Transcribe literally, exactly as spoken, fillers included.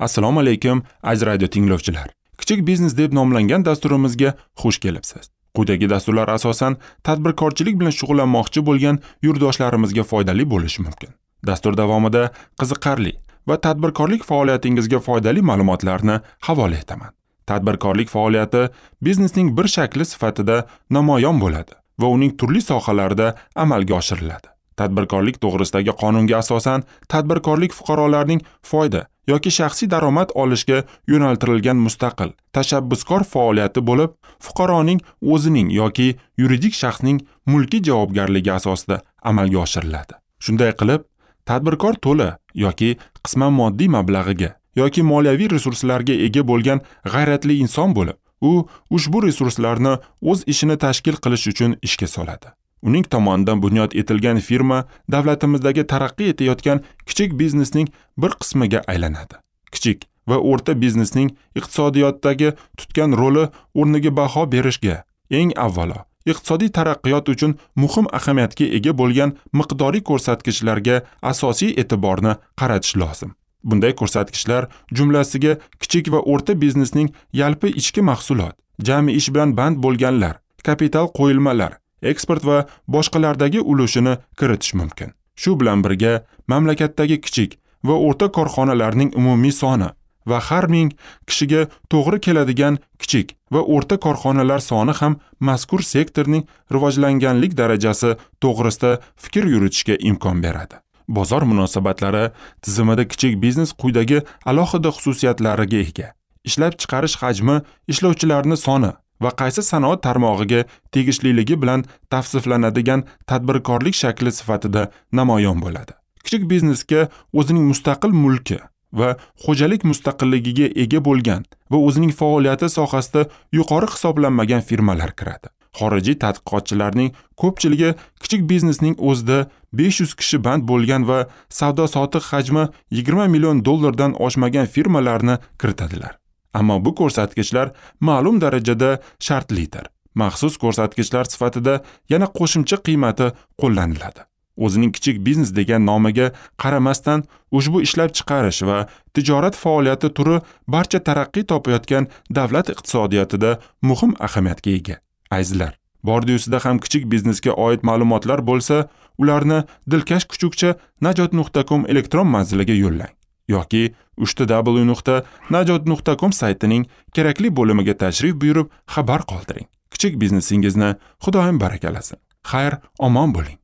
Assalomu alaykum, aziz radio tinglovchilar. Kichik biznes deb nomlangan dasturimizga xush kelibsiz. Quyidagi dasturlar asosan tadbirkorchilik bilan shug'ullanmoqchi bo'lgan yurtdoshlarimizga foydali bo'lishi mumkin. Dastur davomida qiziqarli va tadbirkorlik faoliyatingizga foydali ma'lumotlarni havola etaman. Tadbirkorlik faoliyati biznesning bir shakli sifatida namoyon bo'ladi va uning turli sohalarida amalga oshiriladi. Tadbirkorlik to'g'risidagi qonunga asosan tadbirkorlik fuqarolarning foyda yoki shaxsiy daromad olishga yo'naltirilgan mustaqil, tashabbuskor faoliyati bo'lib, fuqaroning o'zining yoki yuridik shaxsning mulkiy javobgarligi asosida amalga oshiriladi. Shunday qilib, tadbirkor to'la yoki qisman moddiy mablag'iga yoki moliyaviy resurslarga ega bo'lgan g'ayratli inson bo'lib, u ushbu resurslarni o'z ishini tashkil qilish uchun ishga soladi. Uning tomonidan bunyod etilgan firma davlatimizdagi taraqqiy etayotgan kichik biznesning bir qismiga aylanadi. Kichik va o'rta biznesning iqtisodiyotdagi tutgan roli o'rniga baho berishga eng avvalo iqtisodiy taraqqiyot uchun muhim ahamiyatga ega bo'lgan miqdoriy ko'rsatkichlarga asosiy e'tiborni qaratish lozim. Bunday ko'rsatkichlar jumlasiga kichik va o'rta biznesning yalpi ichki mahsulot, jami ish bilan band bo'lganlar, kapital qo'yilmalar, eksport va boshqalardagi ulushini kiritish mumkin. Shu bilan birga mamlakatdagi kichik va o'rta korxonalarning umumiy soni va har ming kishiga to'g'ri keladigan kichik va o'rta korxonalar soni ham mazkur sektorning rivojlanganlik darajasi to'g'risida fikr yuritishga imkon beradi. Bozor munosabatlari tizimida kichik biznes quyidagi alohida xususiyatlariga ega. Ishlab chiqarish hajmi, ishlovchilarning soni va qaysi sanoat tarmog'iga tegishliligi bilan tavsiflanadigan tadbirkorlik shakli sifatida namoyon bo'ladi. Kichik biznesga o'zining mustaqil mulki va xo'jalik mustaqilligiga ega bo'lgan va o'zining faoliyati sohasida yuqori hisoblanmagan firmalar kiradi. Xorijiy tadqiqotchilarning ko'pchiligi kichik biznesning o'zida besh yuz kishi band bo'lgan va savdo-sotiq hajmi yigirma million dollardan oshmagan firmalarni kiritadilar. Ammo bu ko'rsatkichlar ma'lum darajada shartlidir. Maxsus ko'rsatkichlar sifatida yana qo'shimcha qiymati qo'llaniladi. O'zining kichik biznes degan nomiga qaramasdan ushbu ishlab chiqarish va tijorat faoliyati turi barcha taraqqiy topayotgan davlat iqtisodiyotida muhim ahamiyatga ega. Azizlar, bordi-yusida ham kichik biznesga oid ma'lumotlar bo'lsa, ularni dilkash kuchukcha najot nuqta com elektron manziliga yo'llang yoki uch w nuqta najot nuqta com saytining kerakli bo'limiga tashrif buyurib xabar qoldiring. Kichik biznesingizni Xudoyim barakalasin. Xayr, omon bo'ling.